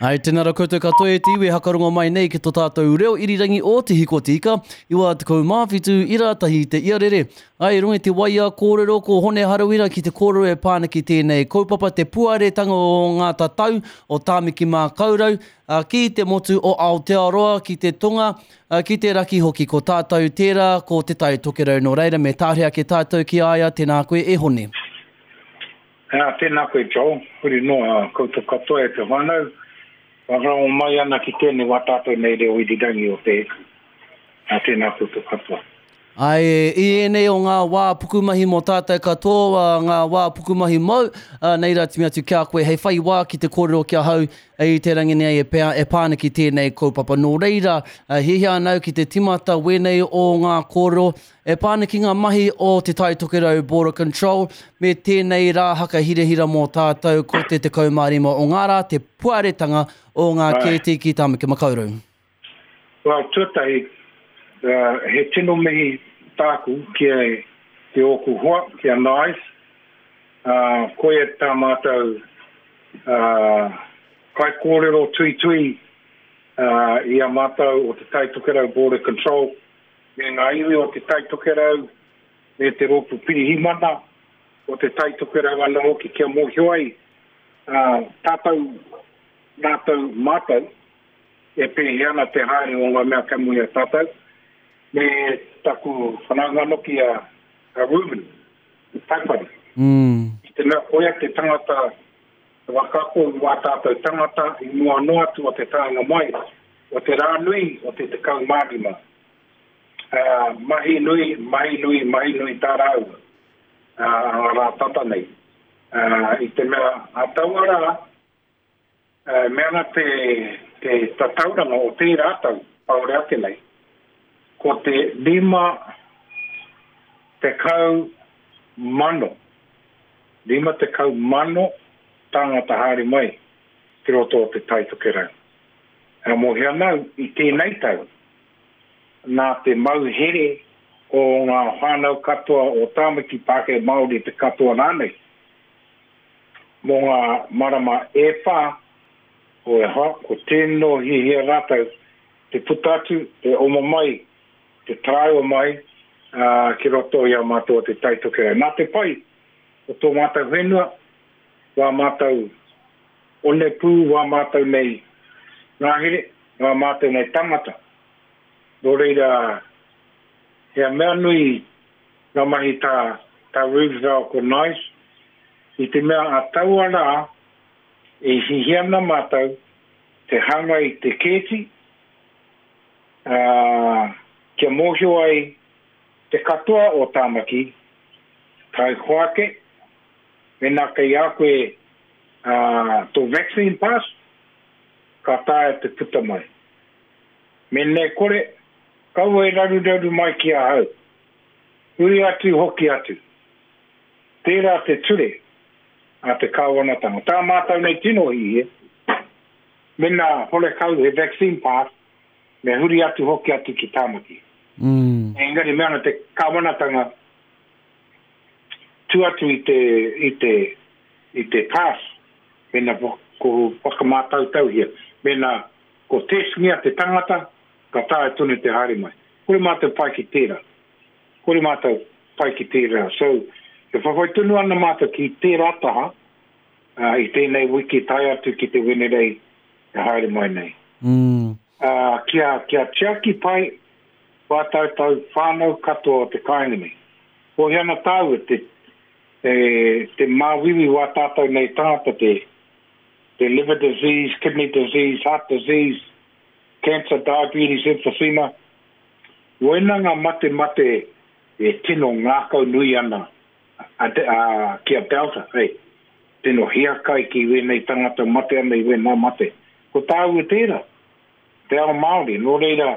Ai, tēnā rā koutou katoa e te iwi e hakarongo mai nei ki to tātou reo irirangi o Te Hiko Te Ika, 97 ira tahi te iarere. Ai, rongi te waia kōrero ko Hone Harawira ki te kōrero e pā ana ki tēnei kaupapa te puaretanga o ngā tatau o Tāmaki Mākaurau ki te motu o Aotearoa, ki te tonga, ki te raki hoki. Ko tātou tērā, ko Te Tai Tokerau. Nō reira, me tāre ake tātou ki a ia, tēnā koe e Hone. Ā, tēnā koe Joel, huri noa koutou katoa e te whānau, whakarongo mai ana ki tēnei wā tātou nei reo irirangi o Te Eku. Ā, tēnā koutou katoa. Āe, i ēnei o ngā wā pukumahi mō tātou katoa, ngā wā pukumahi mōu, ā, nei rā timi atu ki a koe hei whai wā ki te kōrero ki ahau i te rangi nei e pea, e pā ana ki tēnei kaupapa. Nō reira, hiahia ana au ki te timata wēnei o ngā kōrero, E pā ana ki ngā mahi o Te Tai Tokerau Border Control me tēnei rā hakahirahira mō tātou ko te 15 o ngā rā te puaretanga o ngā kēti ki Tāmaki Makaurau. Well, tuatahi, he tino mihi tāku ki ki ōku hoa, ki a Nice. Koia tā mātou kaikōrero tuitui i a mātou o Te Tai Tokerau Border Control. me ngā iwi o Te Tai Tokerau me te Rōpū Pirihimana o Te Tai Tokerau anō hoki kia mōhio ai tātou, rātou, mātou e pēhea ana te haere o ngā mea kei mua i a tātou, me taku whanaunga noki a Reuben Taipari. I te mea koia te tangata whakaako i wā tātou tangata i mua noa atu o te taenga mai o te rā nui o te 15. Ā, mahi nui, mahi nui, mahi nui tā rāua, ā, ngā rā tata nei. Ā, i te mea, ā taua rā, e mea ana te, te tatauranga o tērā tau, kāore ake nei, ko te 50 mano, 50 mano tāngata haere mai ki roto o Te Tai Tokerau. E mōhio ana au i tēnei tau, nā te mau here o ngā whānau katoa o Tāmaki, Pākehā, Māori, te katoa rānei, mō ngā marama e whā, o e hoa, ko tēnō hiahia rātou te puta atu, te oma mai, te taraiwa mai ki roto i a mātou o Te Tai Tokerau. Nā te pai o tō mātou whenua, wā mātou onepū, wā mātou nei ngahere, wā mātou nei tangata. Nō reira, he mea nui ngā mahi tā, tā Rubes rāua ko Nice, i te mea a taua rā e hihia ana mātou te hanga i te kēti, ā, kia mōhio ai te katoa o Tāmaki, tae hoake, mēnā kei a koe ā, tō vaccine pass, ka taea te puta mai. Mēnā e kore, kaua e raruraru mai ki ahau. Huri atu hoki atu. Tērā te ture a te kāwanatanga. Tā mātou nei tino hihia, mēnā horekau he vaccine pass, me huri atu hoki atu ki Tāmaki. Engari mea ana te kāwanatanga tu atu i te, i te, i te pass, mēnā ko whakamātautauhia, mēnā ko testngia te tangata, ka taea tonu te haere mai. Kore mātou pai ki tērā. Kore mātou pai ki tērā. So, e whawhai tonu ana mātou ki tērā taha, uh, i tēnei wiki tae atu ki te Wenerei e haere mai nei. Mm. Uh, kia, kia tiaki pai wā tātou whānau katoa o te kāinga nei. Kohi ana tāua te, te, te māwiwi wā tātou nei tangata te, te liver disease, kidney disease, heart disease, cancer, diabetes, emphysema. Wena ngā mate mate e tino ngākau nui ana a, a, ki a Delta, hey, tino hiakai ki wēnei tangata mate ana i wēnā mate. Ko tāua tērā, te ao Māori, nō reira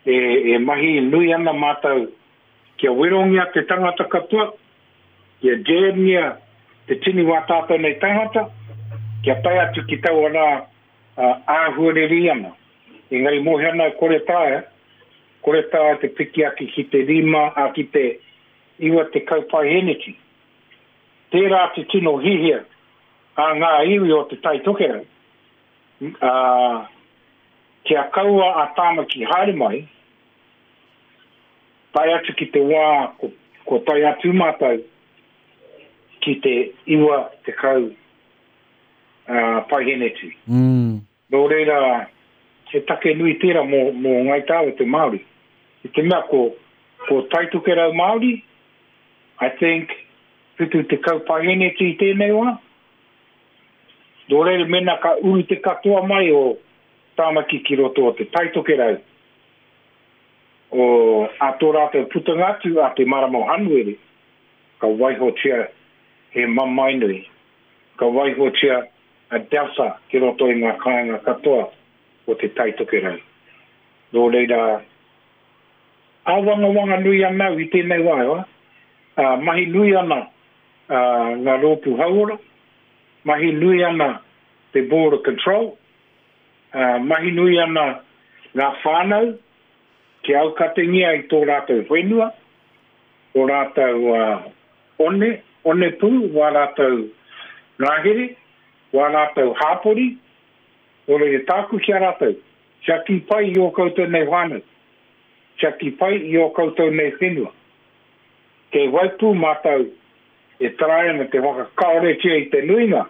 e, e mahi nui ana mātou kia werongia te tangata katoa, kia jabngia te tini wā tātou nei tangata, kia tae atu ki taua rā āhuareri ana. Engari mōhio ana kore taea, kore taea te piki ake ki te rima, a ki te 90 paeheneti. Tērā te tino hihia a ngā iwi o Te Tai Tokerau. Ā, kia kaua a Tāmaki haere mai, tae atu ki te wā kua tae atu mātou ki te 90 paiheneti. Nō reira, he take nui tērā mō, mō Ngāi Tāua te Māori. I te mea ko, ko Taitokerau Māori, I think, 70 paiheneti i tēnei wā. Nō reira, mēnā ka uru te katoa mai o Tāmaki ki roto o Te Taitokerau, o, a tō rātou putanga atu a te marama o Hanuere, ka waihotia he mamae nui, ka waihotia a Delta ki roto i ngā kāinga katoa o Te Taitokerau. Nō reira, āwangawanga nui ana au i tēnei wā, e hoa. Ā, mahi nui ana ngā rōpū hauora, mahi nui ana te Board of Control, ā, mahi nui ana ngā whānau kia aukatengia i tō rātou whenua, ō rātou one, onepū, wā rātou ngahere, wā rātou hāpori, nō reira tāku ki a rātou, tiaki pai i ō koutou nei whānau, tiaki pai i ō koutou nei whenua. Kei waipū mātou e tarai ana te whakakaoretia i te nuinga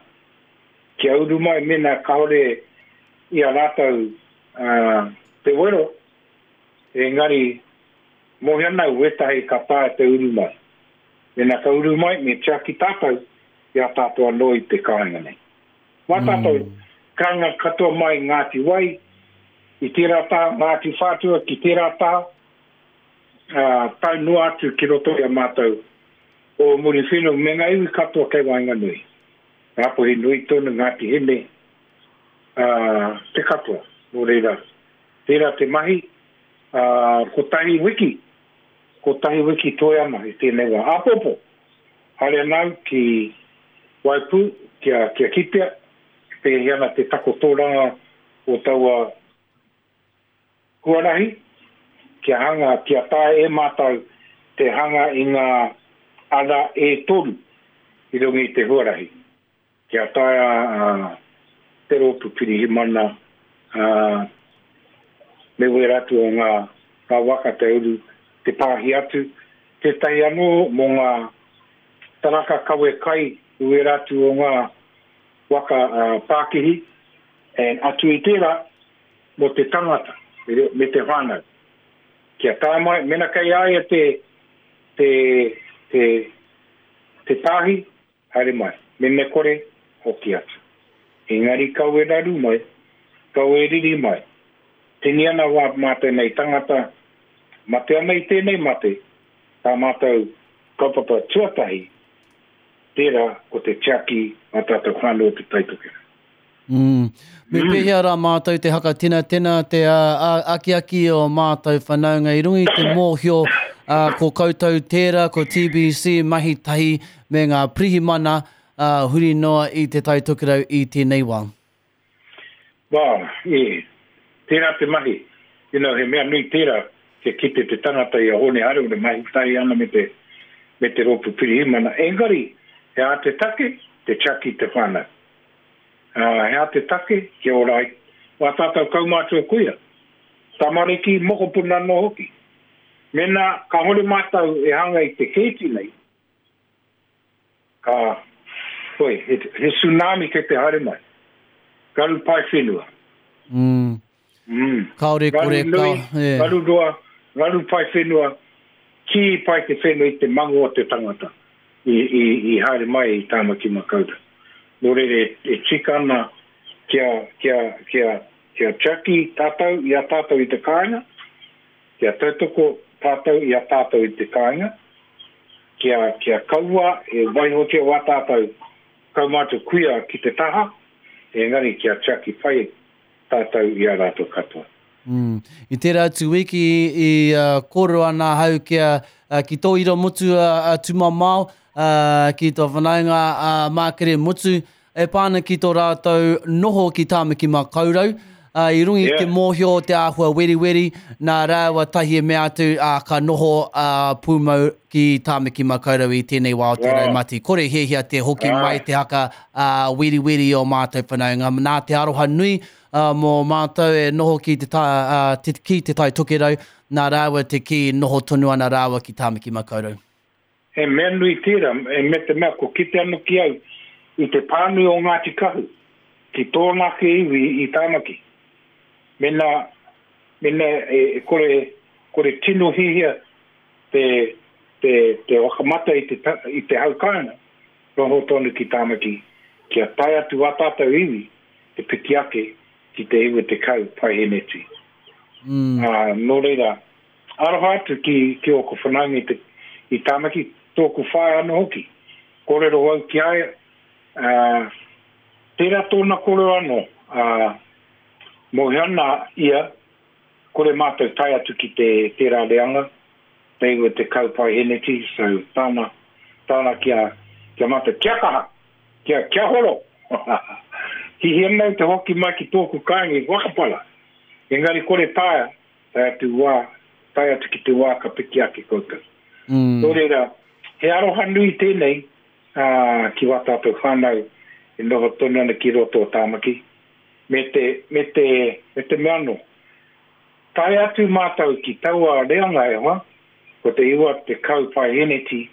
kia uru mai mēnā kāore i a rātou te wero, engari mōhio ana au wētahi ka taea te uru mai. Mēnā ka uru mai me tiaki tātou i a tātou anō i te kāinga nei. Wā tātou kāinga katoa mai Ngāti Wai i tērā taha, Ngāti Whātua ki tērā taha, ā, tae noa atu ki roto i a mātou o Muriwhenua me ngā iwi katoa kei waenganui. Ngāpuhi nui tonu, Ngāti Hine, ā, te katoa. Nō reira, tērā te mahi, ā, kotahi wiki, kotahi wiki toe ana i tēnei wā. Āpōpō, haere ana au ki Waipū kia, kia kitea, pēhea ana te takotoranga o taua Huarahi kia hanga, kia taea e mātou te hanga i ngā ara e toru i runga i te huarahi, kia taea te rōpū pirihimana me wērā atu o ngā waka te uru te pāhi atu, tētahi anō mō ngā taraka kawe kai i wērā atu o ngā waka pākihi, and atu i tērā, mō te tangata me te whānau. Kia tae mai, mena kei a ia te, te, te, te pāhi, haere mai. Mene kore, hoki atu. Engari kau e raru mai, kau e riri mai. Tini ana wā mātou nei tangata, mate ana i tēnei mate, tā mātou kaupapa tuatahi, tērā ko te tiaki a tātou whānau o Te Taitokerau. Mm. Me pēhea rā mātou te hakatenatena, te akiaki o mātou whanaunga i runga i te mōhio ko koutou tērā, ko TBC mahi tahi me ngā pirihimana huri noa i Te Tai Tokerau i tēnei wā? Well, e, tērā te mahi. You know, he mea nui tērā kia kite te tangata i a Hōne Harawira mahi tahi ana me te, me te rōpū pirihimana. Engari, he aha te take? Te tiaki i te whānau. Ā, he aha te take kia ora ai wā tātou kaumātua kuia, tamariki, mokopuna anō hoki? Mēnā kāore mātou e hanga i te kēti nei, ka, hoi, he, he tsunami kei te haere mai. Ngaru pae whenua. Mm. Mm. Kāore kore ka, nui, yeah. Ngaru roa, ngaru pae whenua, kī pai te whenua i te mangu o te tangata i, i, i haere mai i Tāmaki Makaurau. Nō reira, e, e tika ana kia, kia, kia, kia tiaki tātou i a tātou i te kāinga, kia tautoko tātou i a tātou i te kāinga, kia, kia kaua e waihotia wā tātou kaumātua kuia ki te taha, engari kia tiaki pai tātou i a rātou katoa. Mm. I tērā atu wiki i uh, kōrero ana ahau kia, uh, ki tō ira motu uh, uh, Tumamao, uh, ki tō whanaunga uh, Mākere Motu, e pā ana ki tō rātou noho ki Tāmaki Makaurau. Uh, I runga i yeah. te mōhio o te āhua weriweri, nā rāua tahi e mea atu, uh, ka noho uh, pūmau ki Tāmaki Makaurau i tēnei wā o te wow. raumati. Kore hiahia te hoki wow. mai te haka uh, weriweri o mātou whanaunga. Nā te aroha nui, mō mātou e noho ki te, tā, te, ki te Tai Tokerau, nā rāua te kī noho tonu ana rāua ki Tāmaki Makaurau. He mea nui tērā, me te mea kua kite anō ki au i te pānui o Ngāti Kahu ki tōna ake iwi i Tāmaki. Mēnā, mēnā e kore, kore tino hihia te, te, te whakamata i te, i te hau kāinga, noho tonu ki Tāmaki kia tae atu ā tātou iwi te piki ake ki te 90 paeheneti. Mm. Ā, nō reira, Aroha atu ki, ki ōku whanaunga i te, i Tāmaki, tōku whaea anō hoki. Kōrero au ki a ia, ā, tērā tōna kōrero anō, ā, mōhio ana ia, kore mātou tae atu ki te, tērā reanga, te 90 paeheneti, so tāna, tāna ki a, ki a mātou, kia kaha, kia, kia horo! Hihia mau te hoki mai ki tōku kāinga i Whakapara, engari kore taea, tae atu wā, tae atu ki te wā ka piki ake koutou. Mm. Nō reira, he aroha nui tēnei ā, ki wā tātou whānau e noho tonu ana ki roto o Tāmaki, me te, me te, me te mea anō. Tae atu mātou ki taua reanga e hoa, ko te 90 paeheneti,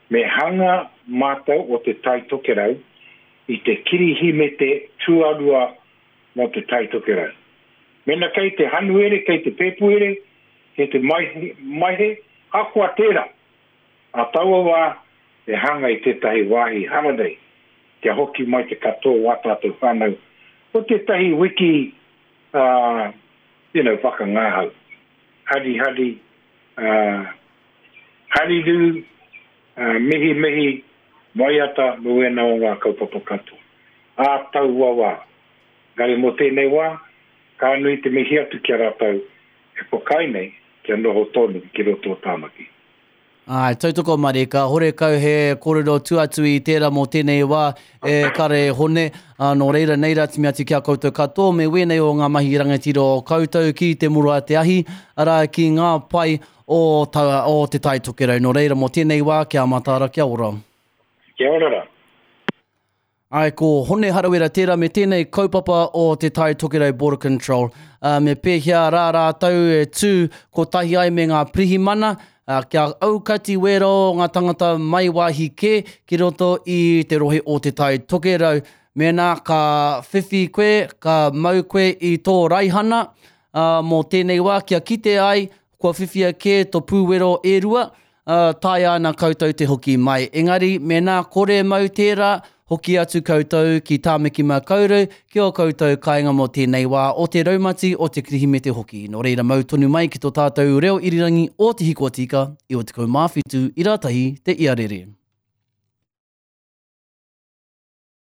me hanga mātou o Te Tai Tokerau i te Kirihimete tuarua mō Te Tai Tokerau. Mēnā kei te Hanuere, kei te Pēpuere, kei te Maehe, ahakoa tērā, ā taua wā e hanga i tētahi wāhi hararei kia hoki mai te katoa o ā tātou whānau mō tētahi wiki, ā, you know, whakangahau, harihari, ā, harirū, ā, mihimihi, waiata mō ēnā o ngā kaupapa katoa. Ā taua wā. Engari mō tēnei wā, ka nui te mihi atu ki a rātou e whakaae nei kia noho tonu ki roto o Tāmaki. Āe, tautoko marika, horekau he kōrero tua atu i tērā mō tēnei wā e kare e Hone, ā, nō reira nei rā timi atu ki a koutou katoa me wēnei o ngā mahi rangatira o koutou ki te muru a te ahi, arā, ki ngā pae o, ta, o Te Tai Tokerau. Nō reira mō tēnei wā, kia mataara, kia ora. Kia ora rā. Āe, ko Hone Harawira tērā me tēnei kaupapa o Te Tai Tokerau Border Control. Ā, me pēhea rā rātou e tū kotahi ai me ngā pirihimana, ā, kia aukati wērā o ngā tangata mai wāhi kē ki roto i te rohe o Te Tai Tokerau. Mēnā ka whiwhi koe, ka mau koe i tō raihana, ā, mō tēnei wā kia kite ai kua whiwhia kē tō pūwero e rua, ā, taea ana koutou te hoki mai. Engari, mēnā kore mau tērā, hoki atu koutou ki Tāmaki-makau-rau, ki ō koutou kāinga mō tēnei wā o te raumati, o te Kirihimete hoki. Nō reira, mau tonu mai ki tō tātou reo irirangi o Te Hiko Tika, 97 ira tahi te iarere.